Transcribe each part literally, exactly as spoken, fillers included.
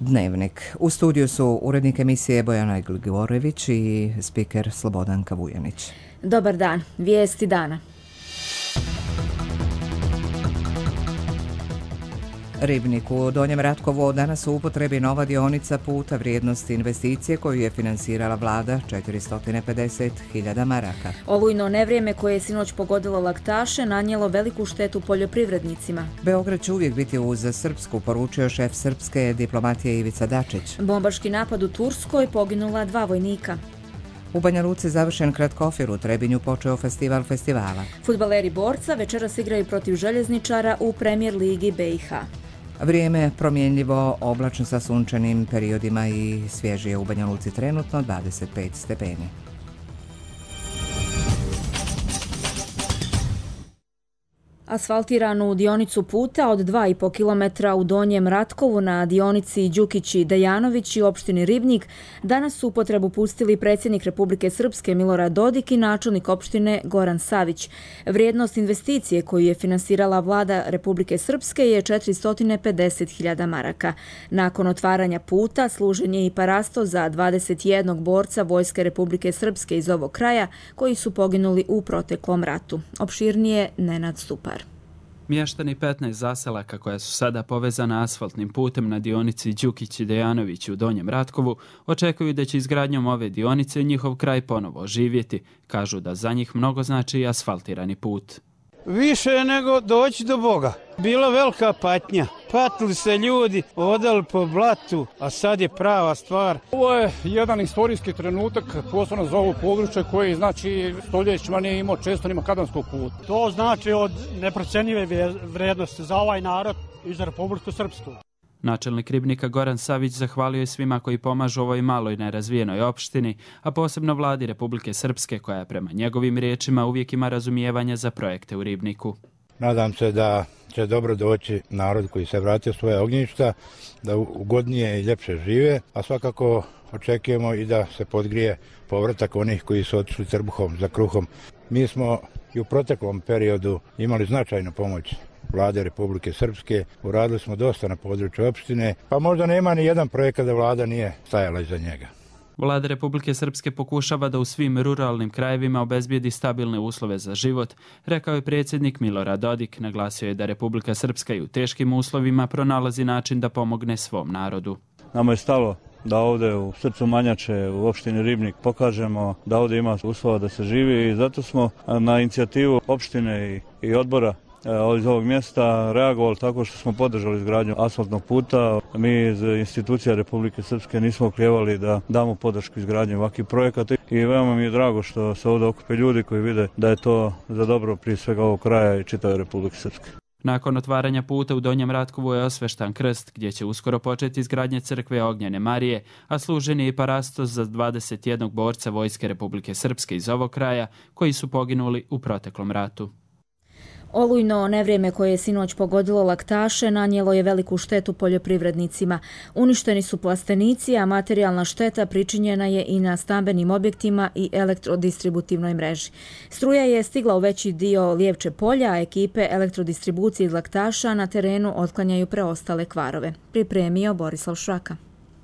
Dnevnik. U studiju su urednik emisije Bojana Gligorević i spiker Slobodanka Vujanić. Dobar dan. Vijesti dana. Ribnik u Donjem Ratkovu danas u upotrebi nova dionica puta vrijednosti investicije koju je finansirala vlada četiristo pedeset hiljada maraka. Olujno nevrijeme koje je sinoć pogodilo laktaše nanijelo veliku štetu poljoprivrednicima. Beograd će uvijek biti uz Srpsku, poručio šef srpske diplomatije Ivica Dačić. Bombaški napad u Turskoj, poginula dva vojnika. U Banja Luci završen Kratkofir, u Trebinju počeo festival festivala. Fudbaleri Borca večeras igraju protiv Željezničara u Premijer ligi B i H. Vrijeme promjenljivo, oblačno sa sunčanim periodima i svježije u Banja Luci trenutno dvadeset pet stepeni. Asfaltiranu dionicu puta od dva i po kilometra u Donjem Ratkovu na dionici Đukići-Dejanović i opštini Ribnik danas su u upotrebu pustili predsjednik Republike Srpske Milorad Dodik i načelnik opštine Goran Savić. Vrijednost investicije koju je finansirala vlada Republike Srpske je četiristo pedeset hiljada maraka. Nakon otvaranja puta služen je i parasto za dvadeset jednog borca Vojske Republike Srpske iz ovog kraja koji su poginuli u proteklom ratu. Opširnije Nenad Stupar. Mještani petnaest zaselaka koja su sada povezana asfaltnim putem na dionici Đukići-Dejanović u Donjem Ratkovu očekuju da će izgradnjom ove dionice njihov kraj ponovo oživjeti. Kažu da za njih mnogo znači i asfaltirani put. Više nego doći do Boga. Bila velika patnja. Patili se ljudi, odali po blatu, a sad je prava stvar. Ovo je jedan istorijski trenutak, posebno za ovo područje koji znači stoljećima nije imao često ni makadamskog puta. To znači od neprocenjive vrijednosti za ovaj narod i za Republiku Srpsku. Načelnik Ribnika Goran Savić zahvalio je svima koji pomažu ovoj maloj nerazvijenoj opštini, a posebno vladi Republike Srpske koja prema njegovim riječima uvijek ima razumijevanja za projekte u Ribniku. Nadam se da će dobro doći narod koji se vratio svoje ognjišta, da ugodnije i ljepše žive, a svakako očekujemo i da se podgrije povratak onih koji su otišli trbuhom za kruhom. Mi smo i u proteklom periodu imali značajnu pomoć vlade Republike Srpske, uradili smo dosta na području opštine, pa možda nema ni jedan projekat da vlada nije stajala iza njega. Vlada Republike Srpske pokušava da u svim ruralnim krajevima obezbijedi stabilne uslove za život, rekao je predsjednik Milorad Dodik. Naglasio je da Republika Srpska i u teškim uslovima pronalazi način da pomogne svom narodu. Nama je stalo da ovdje u srcu Manjače, u opštini Ribnik, pokažemo da ovdje ima uslova da se živi i zato smo na inicijativu opštine i odbora iz ovog mjesta reagovali tako što smo podržali izgradnju asfaltnog puta. Mi iz institucija Republike Srpske nismo oklijevali da damo podršku izgradnju ovakvih projekata i veoma mi je drago što se ovdje okupe ljudi koji vide da je to za dobro prije svega ovog kraja i čitave Republike Srpske. Nakon otvaranja puta u Donjem Ratkovu je osveštan krst gdje će uskoro početi izgradnja crkve Ognjene Marije, a služen je i parastos za dvadeset jednog borca Vojske Republike Srpske iz ovog kraja koji su poginuli u proteklom ratu. Olujno nevrijeme koje je sinoć pogodilo laktaše nanijelo je veliku štetu poljoprivrednicima. Uništeni su plastenici, a materijalna šteta pričinjena je i na stambenim objektima i elektrodistributivnoj mreži. Struja je stigla u veći dio Lijevče polja, a ekipe elektrodistribucije iz laktaša na terenu otklanjaju preostale kvarove. Pripremio Borislav Šraka.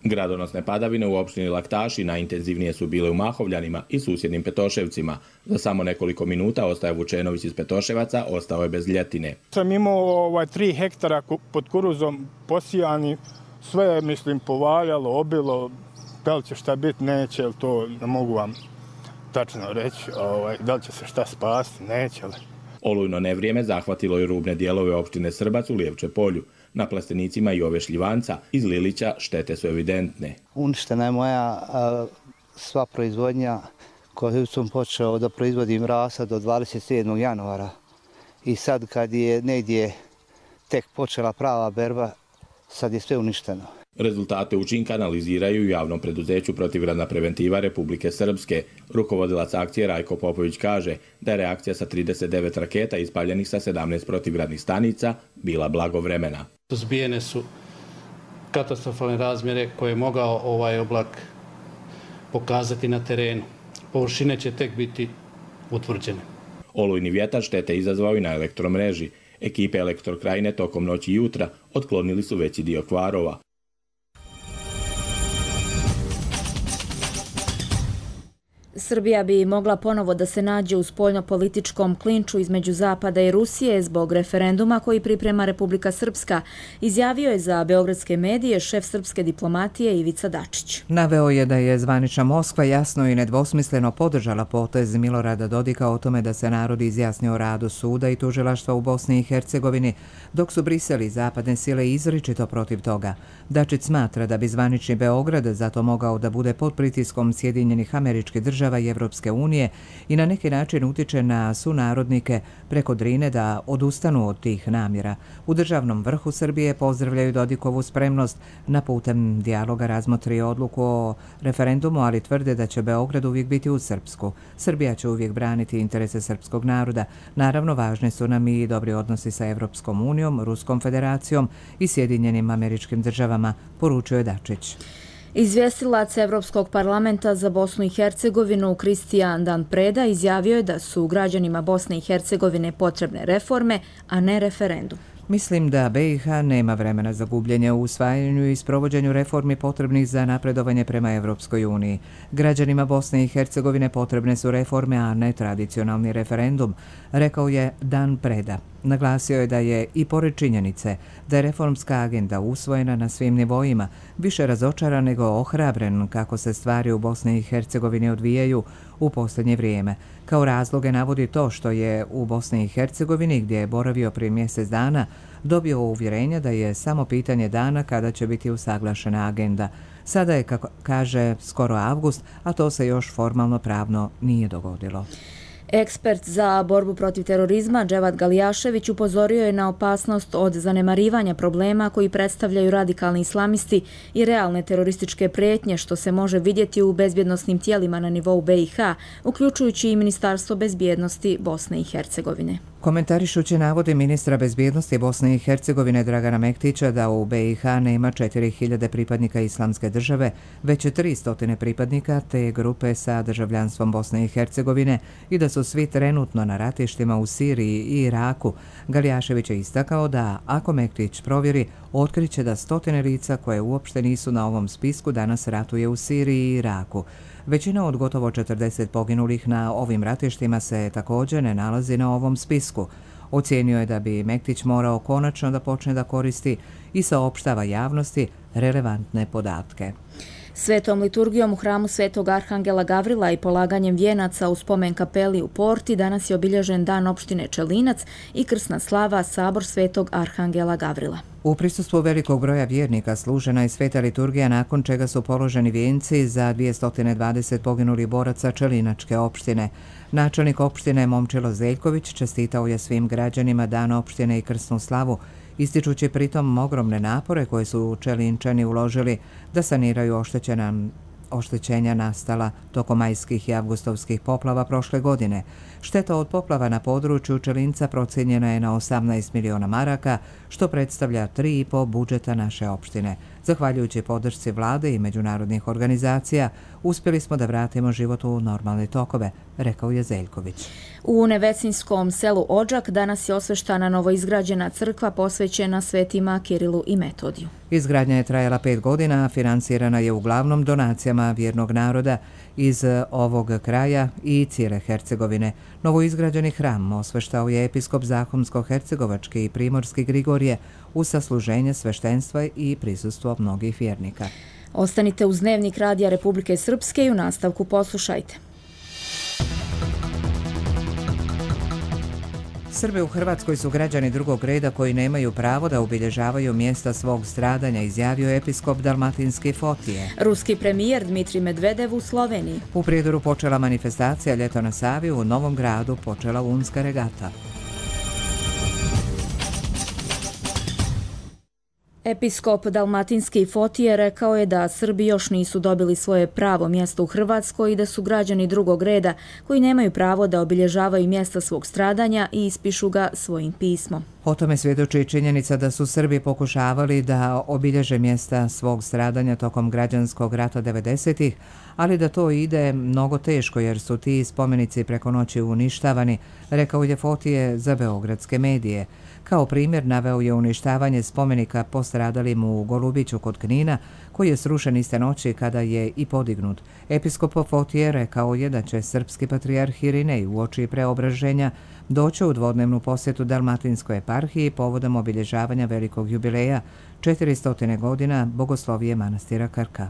Gradonosne padavine u opštini Laktaši najintenzivnije su bile u Mahovljanima i susjednim Petoševcima. Za samo nekoliko minuta Ostaje Vučenović iz Petoševaca ostao je bez ljetine. Sam imao ovaj, tri hektara pod kuruzom posijani, sve je mislim povaljalo, obilo, da li će šta biti, neće, to ne mogu vam tačno reći, ovaj, da li će se šta spasti, neće li. Olujno nevrijeme zahvatilo je rubne dijelove opštine Srbac u Lijevče polju. Na plastenicima i ove šljivanca iz Lilića štete su evidentne. Uništena je moja a, sva proizvodnja koju sam počeo da proizvodim rasa do dvadeset sedmog januara. I sad kad je negdje tek počela prava berba, sad je sve uništeno. Rezultate učinka analiziraju u javnom preduzeću Protivgradna preventiva Republike Srpske. Rukovodilac akcije Rajko Popović kaže da je reakcija sa trideset devet raketa ispaljenih sa sedamnaest protivgradnih stanica bila blagovremena. Suzbijene su katastrofalne razmjere koje je mogao ovaj oblak pokazati na terenu. Površine će tek biti utvrđene. Olujni vjetar štete izazvao i na elektromreži. Ekipe Elektrokrajine tokom noći i jutra otklonili su veći dio kvarova. Srbija bi mogla ponovo da se nađe u spoljno-političkom klinču između Zapada i Rusije zbog referenduma koji priprema Republika Srpska, izjavio je za beogradske medije šef srpske diplomatije Ivica Dačić. Naveo je da je zvanična Moskva jasno i nedvosmisleno podržala potez Milorada Dodika o tome da se narod izjasni o radu suda i tužilaštva u Bosni i Hercegovini, dok su Brisel i zapadne sile izričito protiv toga. Dačić smatra da bi zvanični Beograd zato mogao da bude pod pritiskom Sjedinjenih Američkih Država i Evropske unije i na neki način utiče na sunarodnike preko Drine da odustanu od tih namjera. U državnom vrhu Srbije pozdravljaju Dodikovu spremnost na putem dijaloga razmotri odluku o referendumu, ali tvrde da će Beograd uvijek biti uz Srpsku. Srbija će uvijek braniti interese srpskog naroda. Naravno, važni su nam i dobri odnosi sa Evropskom unijom, Ruskom federacijom i Sjedinjenim Američkim Državama, poručio je Dačić. Izvjestilac Evropskog parlamenta za Bosnu i Hercegovinu Kristijan Dan Preda izjavio je da su građanima Bosne i Hercegovine potrebne reforme, a ne referendum. Mislim da be i ha nema vremena za gubljenje u usvajanju i sprovođenju reformi potrebnih za napredovanje prema Evropskoj uniji. Građanima Bosne i Hercegovine potrebne su reforme, a ne tradicionalni referendum, rekao je Dan Preda. Naglasio je da je i pored činjenice da je reformska agenda usvojena na svim nivoima, više razočaran nego ohrabren kako se stvari u Bosni i Hercegovini odvijaju u posljednje vrijeme. Kao razloge navodi to što je u Bosni i Hercegovini, gdje je boravio prije mjesec dana, dobio uvjerenje da je samo pitanje dana kada će biti usaglašena agenda. Sada je, kako kaže, skoro avgust, a to se još formalno pravno nije dogodilo. Ekspert za borbu protiv terorizma Dževad Galijašević upozorio je na opasnost od zanemarivanja problema koji predstavljaju radikalni islamisti i realne terorističke prijetnje što se može vidjeti u bezbjednosnim tijelima na nivou be i ha, uključujući i Ministarstvo bezbjednosti Bosne i Hercegovine. Komentarišući navode ministra bezbjednosti Bosne i Hercegovine Dragana Mektića da u be i ha nema četiri hiljade pripadnika Islamske države, već tri stotine pripadnika te grupe sa državljanstvom Bosne i Hercegovine i da su svi trenutno na ratištima u Siriji i Iraku, Galijašević je istakao da ako Mektić provjeri, otkriće da stotine lica koje uopšte nisu na ovom spisku danas ratuje u Siriji i Iraku. Većina od gotovo četrdeset poginulih na ovim ratištima se također ne nalazi na ovom spisku. Ocijenio je da bi Mektić morao konačno da počne da koristi i saopštava javnosti relevantne podatke. Svetom liturgijom u hramu Svetog Arhangela Gavrila i polaganjem vijenaca u spomen kapeli u Porti danas je obilježen dan opštine Čelinac i krsna slava Sabor Svetog Arhangela Gavrila. U prisustvu velikog broja vjernika služena je sveta liturgija nakon čega su položeni vijenci za dvjesto dvadeset poginulih boraca Čelinačke opštine. Načelnik opštine Momčilo Zeljković čestitao je svim građanima dan opštine i krsnu slavu, ističući pritom ogromne napore koje su Čelinčani uložili da saniraju oštećena oštećenja nastala tokom majskih i avgustovskih poplava prošle godine. Šteta od poplava na području Čelinca procijenjena je na osamnaest miliona maraka, što predstavlja tri i po budžeta naše opštine. Zahvaljujući podršci vlade i međunarodnih organizacija, uspjeli smo da vratimo život u normalne tokove, rekao je Zeljković. U Nevecinskom selu Odžak danas je osveštana novoizgrađena crkva posvećena svetima Kirilu i Metodiju. Izgradnja je trajala pet godina, a finansirana je uglavnom donacijama vjernog naroda iz ovog kraja i cijele Hercegovine. Novoizgrađeni hram osveštao je episkop Zahumsko-hercegovački i primorski Grigorije uz sasluženje sveštenstva i prisustvo mnogih vjernika. Ostanite uz Dnevnik Radija Republike Srpske i u nastavku poslušajte. Srbi u Hrvatskoj su građani drugog reda koji nemaju pravo da obilježavaju mjesta svog stradanja, izjavio episkop Dalmatinski Fotije. Ruski premijer Dmitrij Medvedev u Sloveniji. U Prijedoru počela manifestacija Ljeto na Savi, u Novom Gradu počela unska regata. Episkop Dalmatinski Fotije rekao je da Srbi još nisu dobili svoje pravo mjesto u Hrvatskoj i da su građani drugog reda koji nemaju pravo da obilježavaju mjesta svog stradanja i ispišu ga svojim pismom. O tome svjedoči činjenica da su Srbi pokušavali da obilježe mjesta svog stradanja tokom građanskog rata devedesetih, ali da to ide mnogo teško jer su ti spomenici preko noći uništavani, rekao je Fotije za beogradske medije. Kao primjer naveo je uništavanje spomenika postradalim u Golubiću kod Knina, koji je srušen iste noći kada je i podignut. Episkop Fotije rekao je da će srpski patrijarh Irinej uoči preobraženja doći u dvodnevnu posjetu Dalmatinskoj eparhiji povodom obilježavanja velikog jubileja četiristo godina bogoslovije manastira Krka.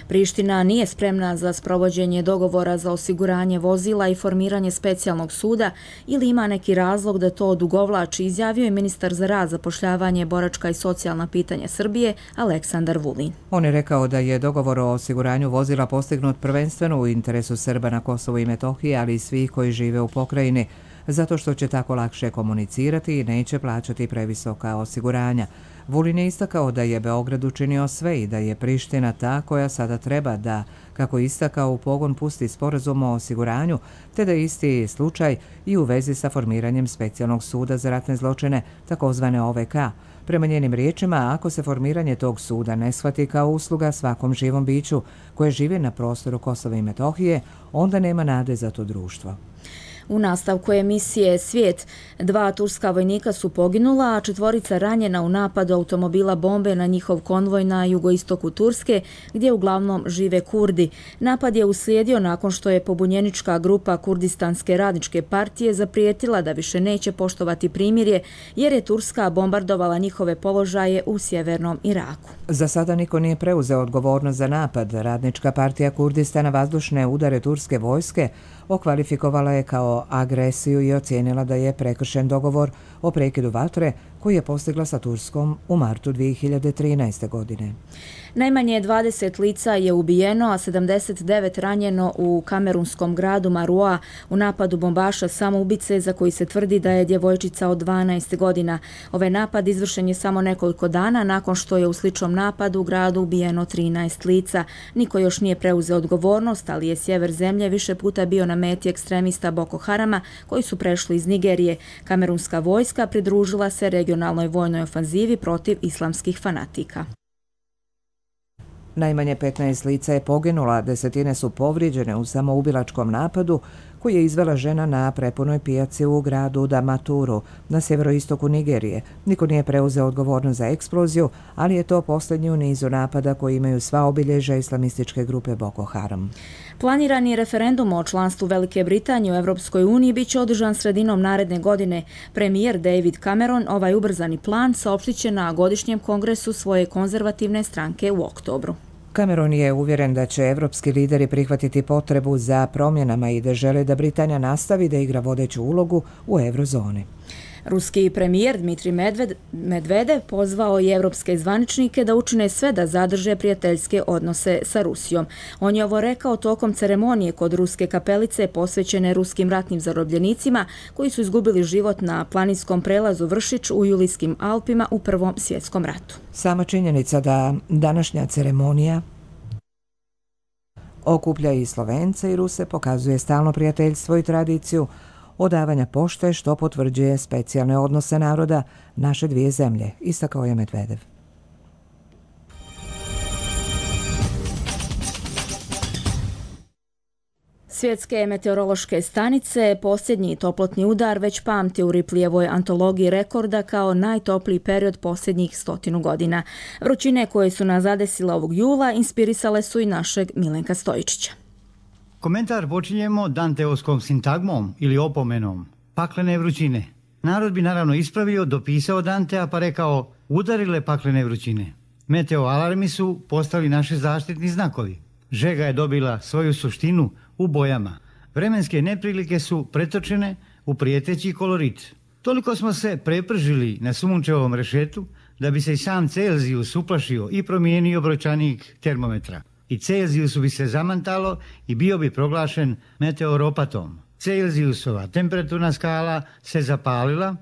Priština nije spremna za sprovođenje dogovora za osiguranje vozila i formiranje specijalnog suda ili ima neki razlog da to odugovlači, izjavio je ministar za rad, zapošljavanje, boračka i socijalna pitanja Srbije Aleksandar Vulin. On je rekao da je dogovor o osiguranju vozila postignut prvenstveno u interesu Srba na Kosovu i Metohiji, ali i svih koji žive u pokrajini, zato što će tako lakše komunicirati i neće plaćati previsoka osiguranja. Vulin je istakao da je Beograd učinio sve i da je Priština ta koja sada treba da, kako je istakao, u pogon pusti sporazum o osiguranju, te da isti slučaj i u vezi sa formiranjem specijalnog suda za ratne zločine, takozvane O V K. Prema njenim riječima, ako se formiranje tog suda ne shvati kao usluga svakom živom biću koje živi na prostoru Kosova i Metohije, onda nema nade za to društvo. U nastavku emisije Svijet, dva turska vojnika su poginula, a četvorica ranjena u napadu automobila bombe na njihov konvoj na jugoistoku Turske, gdje uglavnom žive Kurdi. Napad je uslijedio nakon što je pobunjenička grupa Kurdistanske radničke partije zaprijetila da više neće poštovati primirje, jer je Turska bombardovala njihove položaje u sjevernom Iraku. Za sada niko nije preuzeo odgovornost za napad. Radnička partija Kurdistana vazdušne udare turske vojske okvalifikovala je kao agresiju i ocijenila da je prekršen dogovor o prekidu vatre koji je postigla sa Turskom u martu dvije hiljade trinaeste. godine. Najmanje dvadeset lica je ubijeno, a sedamdeset devet ranjeno u kamerunskom gradu Marua u napadu bombaša samoubice za koji se tvrdi da je djevojčica od dvanaest godina. Ovaj napad izvršen je samo nekoliko dana nakon što je u sličnom napadu u gradu ubijeno trinaest lica. Niko još nije preuzeo odgovornost, ali je sjever zemlje više puta bio na meti ekstremista Boko Harama koji su prešli iz Nigerije. Kamerunska vojska pridružila se regionalnoj vojnoj ofanzivi protiv islamskih fanatika. Najmanje petnaest lica je poginula, desetine su povrijeđene u samoubilačkom napadu koji je izvela žena na prepunoj pijaci u gradu Damaturu na sjeveroistoku Nigerije. Niko nije preuzeo odgovornost za eksploziju, ali je to posljednji u nizu napada koji imaju sva obilježja islamističke grupe Boko Haram. Planirani referendum o članstvu Velike Britanije u Europskoj uniji bit će održan sredinom naredne godine. Premijer David Cameron ovaj ubrzani plan saopštit će na godišnjem kongresu svoje konzervativne stranke u oktobru. Cameron je uvjeren da će evropski lideri prihvatiti potrebu za promjenama i da žele da Britanija nastavi da igra vodeću ulogu u eurozoni. Ruski premijer Dmitrij Medvedev pozvao je evropske zvaničnike da učine sve da zadrže prijateljske odnose sa Rusijom. On je ovo rekao tokom ceremonije kod Ruske kapelice posvećene ruskim ratnim zarobljenicima koji su izgubili život na planinskom prelazu Vršić u Julijskim Alpima u Prvom svjetskom ratu. Sama činjenica da današnja ceremonija okuplja i Slovence i Ruse pokazuje stalno prijateljstvo i tradiciju odavanja pošte, što potvrđuje specijalne odnose naroda naše dvije zemlje, istakao je Medvedev. Svjetske meteorološke stanice posljednji toplotni udar već pamti u Riplijevoj antologiji rekorda kao najtopliji period posljednjih stotinu godina. Vrućine koje su nas zadesile ovog jula inspirisale su i našeg Milenka Stojičića. Komentar počinjemo danteovskom sintagmom ili opomenom paklene vrućine. Narod bi naravno ispravio, dopisao Dantea pa rekao udarile paklene vrućine. Meteo alarmi su postali naši zaštitni znakovi. Žega je dobila svoju suštinu u bojama. Vremenske neprilike su pretočene u prijeteći kolorit. Toliko smo se prepržili na sunčevom rešetu da bi se i sam Celzijus uplašio i promijenio brojčanik termometra. I Celzijusu bi se zamantalo i bio bi proglašen meteoropatom. Celzijusova temperaturna skala se zapalila,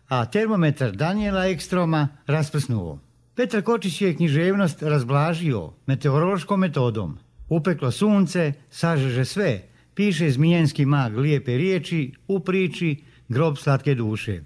a termometar Daniela Ekstroma rasprsnuo. Petar Kočić je književnost razblažio meteorološkom metodom. Upeklo sunce, sažeže sve, piše zmijenski mag lijepe riječi, u priči grob slatke duše.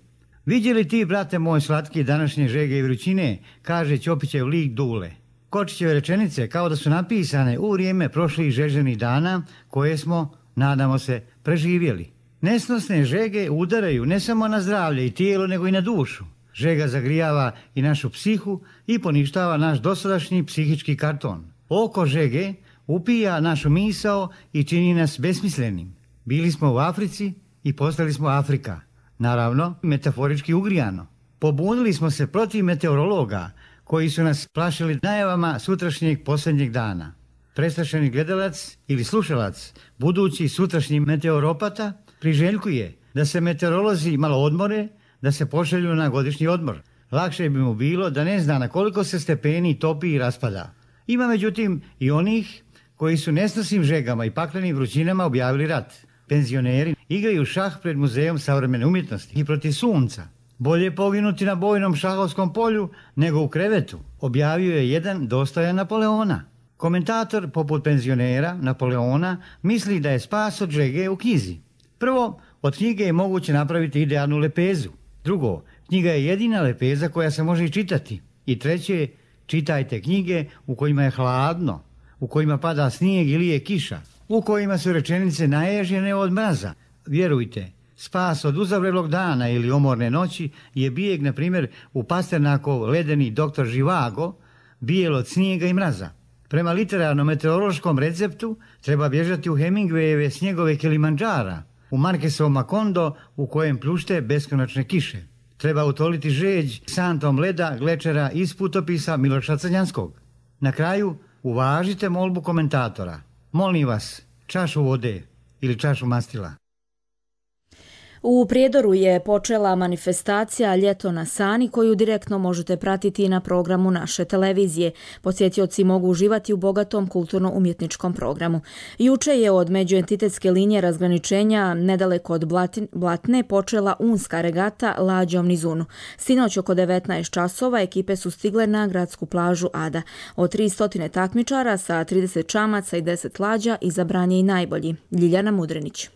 Vidjeli ti, brate moj slatki, današnje žege i vrućine, kaže Ćopićev lik Dule. Kočićeve rečenice kao da su napisane u vrijeme prošlih žeženih dana koje smo, nadamo se, preživjeli. Nesnosne žege udaraju ne samo na zdravlje i tijelo, nego i na dušu. Žega zagrijava i našu psihu i poništava naš dosadašnji psihički karton. Oko žege upija našu misao i čini nas besmislenim. Bili smo u Africi i postali smo Afrika. Naravno, metaforički ugrijano. Pobunili smo se protiv meteorologa koji su nas plašili najavama sutrašnjeg posljednjeg dana. Prestrašeni gledalac ili slušalac, budući sutrašnji meteoropata, priželjkuje da se meteorolozi malo odmore, da se pošalju na godišnji odmor. Lakše bi mu bilo da ne zna na koliko se stepeni topi i raspada. Ima međutim i onih koji su nesnosnim žegama i paklenim vrućinama objavili rat. Penzioneri igraju šah pred Muzejom savremene umjetnosti i protiv sunca. Bolje poginuti na bojnom šahovskom polju nego u krevetu, objavio je jedan dostojan Napoleona. Komentator poput penzionera Napoleona misli da je spas od žege u knjizi. Prvo, od knjige je moguće napraviti idealnu lepezu. Drugo, knjiga je jedina lepeza koja se može i čitati. I treće, čitajte knjige u kojima je hladno, u kojima pada snijeg ili je kiša, u kojima su rečenice naježene od mraza. Vjerujte, spas od uzavrelog dana ili omorne noći je bijeg, na primjer, u Pasternakov ledeni doktor Živago, bijel od snijega i mraza. Prema literarno-meteorološkom receptu treba bježati u Hemingwayeve snjegove Kilimandžara, u Marquesov Macondo u kojem pljušte beskonačne kiše. Treba utoliti žeđ santom leda glečera iz putopisa Miloša Crnjanskog. Na kraju, uvažite molbu komentatora. Molim vas, čašu vode ili čašu mastila. U Prijedoru je počela manifestacija Ljeto na Sani koju direktno možete pratiti na programu naše televizije. Posjetioci mogu uživati u bogatom kulturno-umjetničkom programu. Juče je od međuentitetske linije razgraničenja nedaleko od Blatne počela unska regata lađom niz Unu. Sinoć oko devetnaest časova ekipe su stigle na gradsku plažu Ada. Od tristo takmičara sa trideset čamaca i deset lađa izabran je i najbolji. Ljiljana Mudrinić.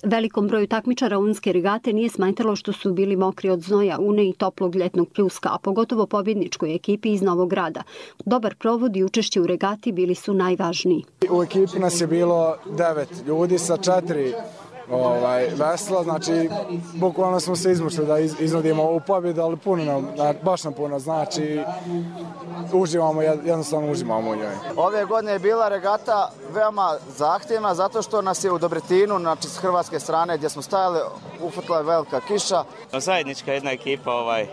Velikom broju takmičara unske regate nije smetalo što su bili mokri od znoja, une i toplog ljetnog pljuska, a pogotovo pobjedničkoj ekipi iz Novog Grada. Dobar provod i učešće u regati bili su najvažniji. U ekipi nas je bilo devet ljudi sa četiri ovaj, vesla, znači bukvalno smo se izmušli da iz, iznudimo ovu pobjedu, ali puno nam, baš nam puno, znači uživamo, jednostavno uživamo u njoj. Ove godine je bila regata veoma zahtjevna zato što nas je u Dobretinu, znači s hrvatske strane gdje smo stajali, ufutila je velika kiša. Zajednička jedna ekipa, ovaj.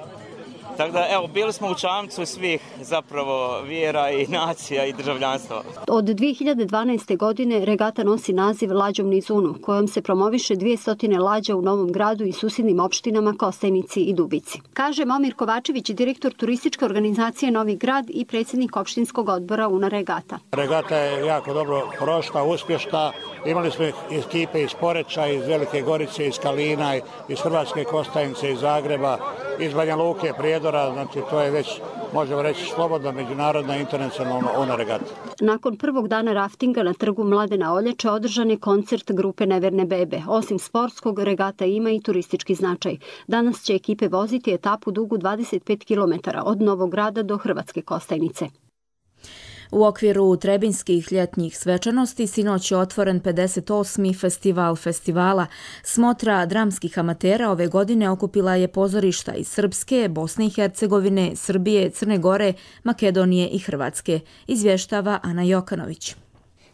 Tako da, evo, bili smo u čamcu svih zapravo vjera i nacija i državljanstva. Od dvije hiljade dvanaeste. godine regata nosi naziv Lađom niz Unu, kojom se promoviše dvjesto lađa u Novom Gradu i susjednim opštinama Kostajnici i Dubici. Kaže Momir Kovačević, direktor turističke organizacije Novi Grad i predsjednik opštinskog odbora Una regata. Regata je jako dobro prošla, uspješna. Imali smo ekipe iz Poreča, iz Velike Gorice, iz Kalina, iz Hrvatske Kostajnice, iz Zagreba, iz Banja Luke, Prijedora, znači to je već, možemo reći, slobodna međunarodna internacionalna ona regata. Nakon prvog dana raftinga na trgu Mladena Oljače održan je koncert grupe Neverne bebe. Osim sportskog, regata ima i turistički značaj. Danas će ekipe voziti etapu dugu dvadeset pet kilometara od Novog Grada do Hrvatske Kostajnice. U okviru Trebinskih ljetnjih svečanosti sinoć je otvoren pedeset osmi festival festivala. Smotra dramskih amatera ove godine okupila je pozorišta iz Srpske, Bosne i Hercegovine, Srbije, Crne Gore, Makedonije i Hrvatske, izvještava Ana Jokanović.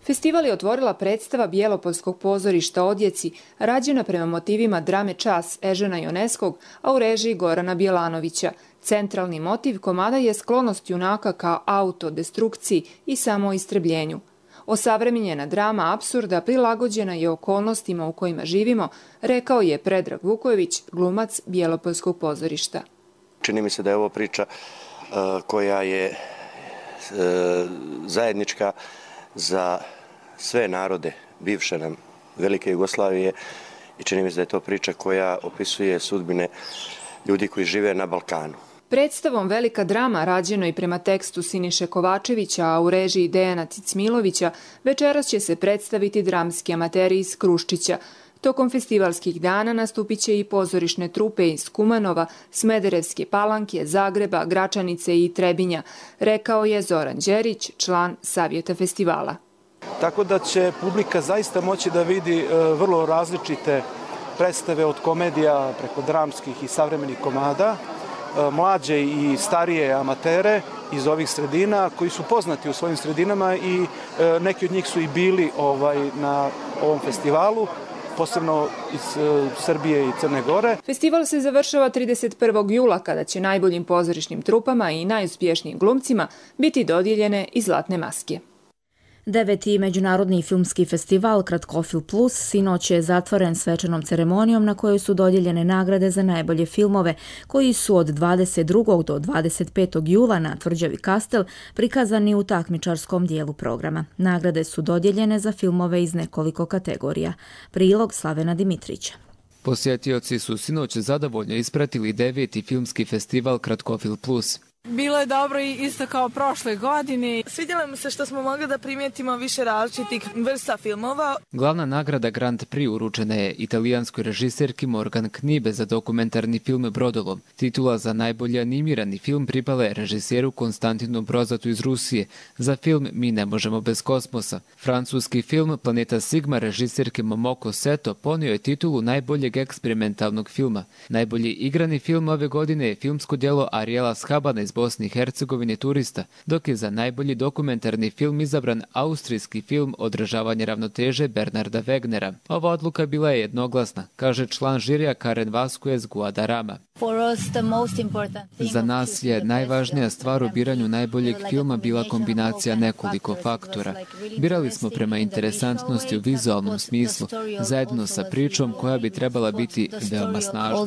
Festival je otvorila predstava Bijelopolskog pozorišta Odjeci, rađena prema motivima drame Čas Ežena Joneskog, a u režiji Gorana Bjelanovića. Centralni motiv komada je sklonost junaka ka autodestrukciji i samoistrebljenju. Osavremenjena drama apsurda prilagođena je okolnostima u kojima živimo, rekao je Predrag Vukojević, glumac Bijelopolskog pozorišta. Čini mi se da je ovo priča uh, koja je uh, zajednička za sve narode bivše nam Velike Jugoslavije i čini mi se da je to priča koja opisuje sudbine ljudi koji žive na Balkanu. Predstavom Velika drama, rađeno i prema tekstu Siniše Kovačevića, a u režiji Dejana Cicmilovića, večeras će se predstaviti dramski amateri iz Kruščića. Tokom festivalskih dana nastupit će i pozorišne trupe iz Kumanova, Smederevske Palanke, Zagreba, Gračanice i Trebinja, rekao je Zoran Đerić, član Savjeta festivala. Tako da će publika zaista moći da vidi vrlo različite predstave od komedija preko dramskih i savremenih komada mlađe i starije amatere iz ovih sredina koji su poznati u svojim sredinama i neki od njih su i bili ovaj, na ovom festivalu, posebno iz Srbije i Crne Gore. Festival se završava trideset prvog jula kada će najboljim pozorišnim trupama i najuspješnijim glumcima biti dodijeljene i zlatne maske. Deveti međunarodni filmski festival Kratkofil Plus sinoć je zatvoren svečanom ceremonijom na kojoj su dodijeljene nagrade za najbolje filmove koji su od dvadeset drugog do dvadeset petog jula na Tvrđavi Kastel prikazani u takmičarskom dijelu programa. Nagrade su dodijeljene za filmove iz nekoliko kategorija. Prilog Slavena Dimitrića. Posjetioci su sinoć zadovoljno ispratili deveti filmski festival Kratkofil Plus. Bilo je dobro i isto kao prošle godine. Svidjelo mi se što smo mogli da primijetimo više različitih vrsta filmova. Glavna nagrada Grand Prix uručena je italijanskoj režiserki Morgan Knibe za dokumentarni film Brodolom. Titula za najbolji animirani film pripala je režiseru Konstantinu Brozatu iz Rusije za film Mi ne možemo bez kosmosa. Francuski film Planeta Sigma režiserke Momoko Seto ponio je titulu najboljeg eksperimentalnog filma. Najbolji igrani film ove godine je filmsko djelo Ariela Schabana iz Bosne i Hercegovine Turista, dok je za najbolji dokumentarni film izabran austrijski film Održavanje ravnoteže Bernarda Wegnera. Ova odluka bila je jednoglasna, kaže član žirija Karen Vasquez Guadarrama. Za nas je najvažnija stvar u biranju najboljeg filma bila kombinacija nekoliko faktora. Birali smo prema interesantnosti u vizualnom smislu, zajedno sa pričom koja bi trebala biti veoma snažna.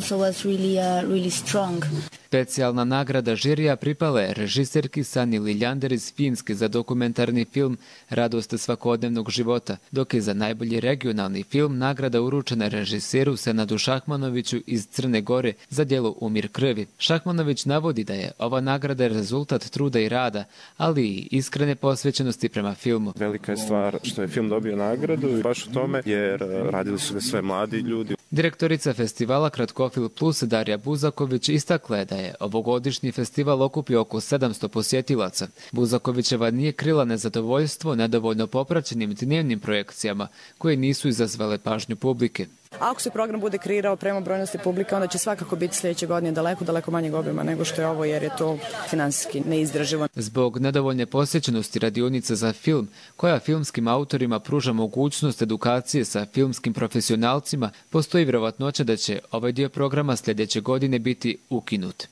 Specijalna nagrada žirija pripala je režiserki Sani Liljander iz Finske za dokumentarni film Radost svakodnevnog života, dok je za najbolji regionalni film nagrada uručena režiseru Senadu Šahmanoviću iz Crne Gore za djelo Umir krvi. Šahmanović navodi da je ova nagrada rezultat truda i rada, ali i iskrene posvećenosti prema filmu. Velika je stvar što je film dobio nagradu i baš u tome, jer radili su ga sve mladi ljudi. Direktorica festivala Kratkofil Plus Darija Buzaković istakla je da je ovogodišnji festival okupio oko sedamsto posjetilaca. Buzakovićeva nije krila nezadovoljstvo nedovoljno popraćenim dnevnim projekcijama koje nisu izazvale pažnju publike. Ako se program bude kreirao prema brojnosti publike, onda će svakako biti sljedeće godine daleko, daleko manjeg obima nego što je ovo, jer je to finansijski neizdrživo. Zbog nedovoljne posjećenosti radionica za film, koja filmskim autorima pruža mogućnost edukacije sa filmskim profesionalcima, postoji vjerovatnoća da će ovaj dio programa sljedeće godine biti ukinut.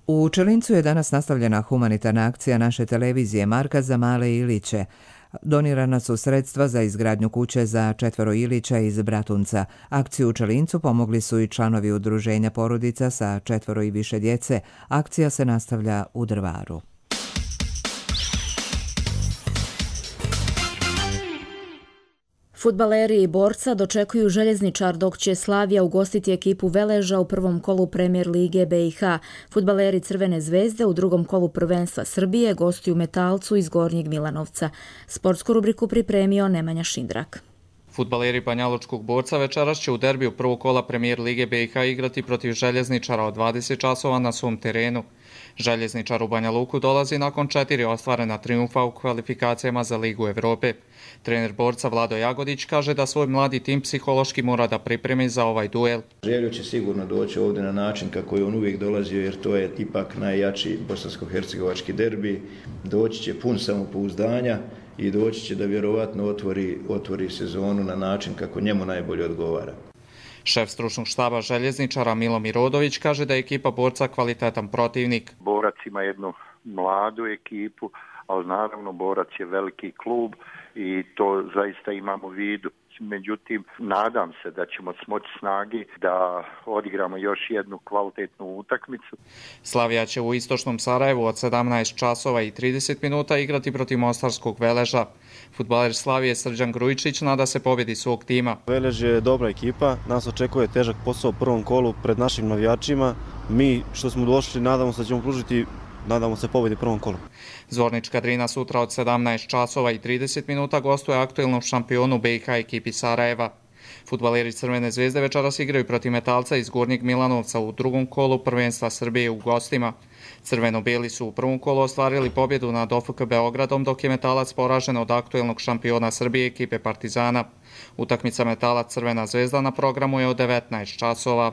U Čelincu je danas nastavljena humanitarna akcija naše televizije Marka za male Iliće. Donirana su sredstva za izgradnju kuće za četvero Ilića iz Bratunca. Akciju u Čelincu pomogli su i članovi udruženja porodica sa četvero i više djece. Akcija se nastavlja u Drvaru. Fudbaleri i Borca dočekuju Željezničar, dok će Slavija ugostiti ekipu Veleža u prvom kolu Premijer lige B i H. Fudbaleri Crvene zvezde u drugom kolu prvenstva Srbije gostuju Metalcu iz Gornjeg Milanovca. Sportsku rubriku pripremio Nemanja Šindrak. Fudbaleri Banjalučkog Borca večeras će u derbiju prvog kola Premijer lige B i H igrati protiv Željezničara od dvadeset časova na svom terenu. Željezničar u Banja Luku dolazi nakon četiri ostvarena triumfa u kvalifikacijama za Ligu Evrope. Trener Borca Vlado Jagodić kaže da svoj mladi tim psihološki mora da pripremi za ovaj duel. Željo će sigurno doći ovdje na način kako je on uvijek dolazio, jer to je ipak najjači bosansko-hercegovački derbi. Doći će pun samopouzdanja i doći će da vjerovatno otvori, otvori sezonu na način kako njemu najbolje odgovara. Šef stručnog štaba Željezničara Milomir Rodović kaže da je ekipa Borca kvalitetan protivnik. Borac ima jednu mladu ekipu, ali naravno Borac je veliki klub i to zaista imamo u vidu. Međutim, nadam se da ćemo smoći snagi da odigramo još jednu kvalitetnu utakmicu. Slavija će u istočnom Sarajevu od sedamnaest časova i trideset minuta igrati protiv mostarskog Veleža. Fudbaler Slavije Srđan Grujičić nada se pobjedi svog tima. Velež je dobra ekipa, nas očekuje težak posao u prvom kolu pred našim navijačima. Mi što smo došli nadamo se da ćemo pružiti Nadamo se pobjedi prvom kolu. Zvornička Drina sutra od sedamnaest časova i trideset minuta gostuje aktuelnom šampionu B i H ekipi Sarajeva. Fudbaleri Crvene zvezde večeras igraju protiv Metalca iz Gornjeg Milanovca u drugom kolu prvenstva Srbije u gostima. Crveno-beli su u prvom kolu ostvarili pobjedu nad O F K Beogradom, dok je Metalac poražen od aktuelnog šampiona Srbije ekipe Partizana. Utakmica Metalac Crvena zvezda na programu je od devetnaest časova.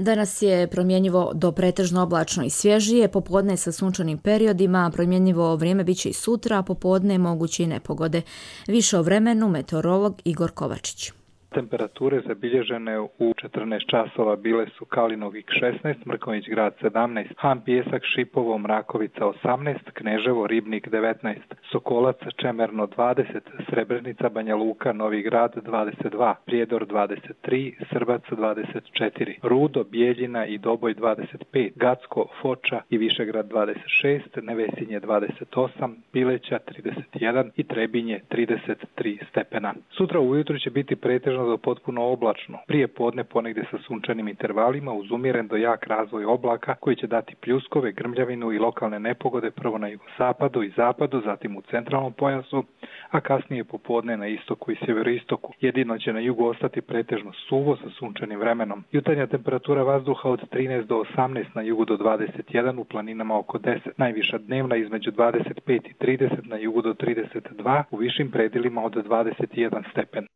Danas je promjenjivo do pretežno oblačno i svježije, popodne sa sunčanim periodima, promjenjivo vrijeme biće i sutra, a popodne moguće i nepogode. Više o vremenu meteorolog Igor Kovačić. Temperature zabilježene u četrnaest časova bile su Kalinovik šesnaest, Mrkonjić Grad sedamnaest, Han Pijesak, Šipovo, Mrakovica osamnaest, Kneževo, Ribnik devetnaest, Sokolac, Čemerno dvadeset, Srebrenica, Banja Luka, Novi Grad dvadeset dva, Prijedor dvadeset tri, Srbac dvadeset četiri, Rudo, Bijeljina i Doboj dvadeset pet, Gacko, Foča i Višegrad dvadeset šest, Nevesinje dvadeset osam, Pileća trideset jedan i Trebinje trideset tri stepena. Sutra ujutro će biti pretežno do potpuno oblačno. Prije podne ponegdje sa sunčanim intervalima uz umjeren do jak razvoj oblaka koji će dati pljuskove, grmljavinu i lokalne nepogode prvo na jugosapadu i zapadu, zatim u centralnom pojasu, a kasnije popodne na istoku i sjeveroistoku. Jedino će na jugu ostati pretežno suvo sa sunčanim vremenom. Jutarnja temperatura vazduha od trinaest do osamnaest, na jugu do dvadeset jedan, u planinama oko deset. Najviša dnevna između dvadeset pet i trideset, na jugu do trideset dva, u višim predjelima od dvadeset jedan stepen.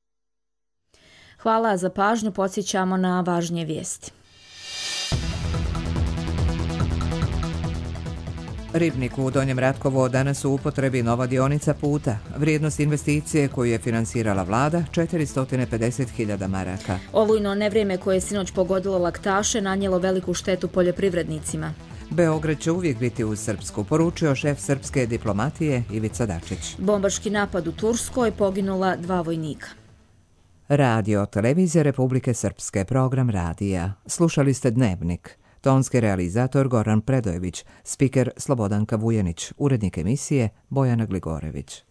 Hvala za pažnju, podsjećamo na važnije vijesti. Ribniku u Donjem Ratkovu danas u upotrebi nova dionica puta. Vrijednost investicije koju je finansirala vlada četiristo pedeset hiljada maraka. Olujno nevrijeme koje je sinoć pogodilo laktaše nanijelo veliku štetu poljoprivrednicima. Beograd će uvijek biti uz Srpsku, poručio šef srpske diplomatije Ivica Dačić. Bombaški napad u Turskoj, poginula dva vojnika. Radio Televizija Republike Srpske, program radija. Slušali ste Dnevnik. Tonski realizator Goran Predojević, spiker Slobodanka Vujanić, urednik emisije Bojana Gligorević.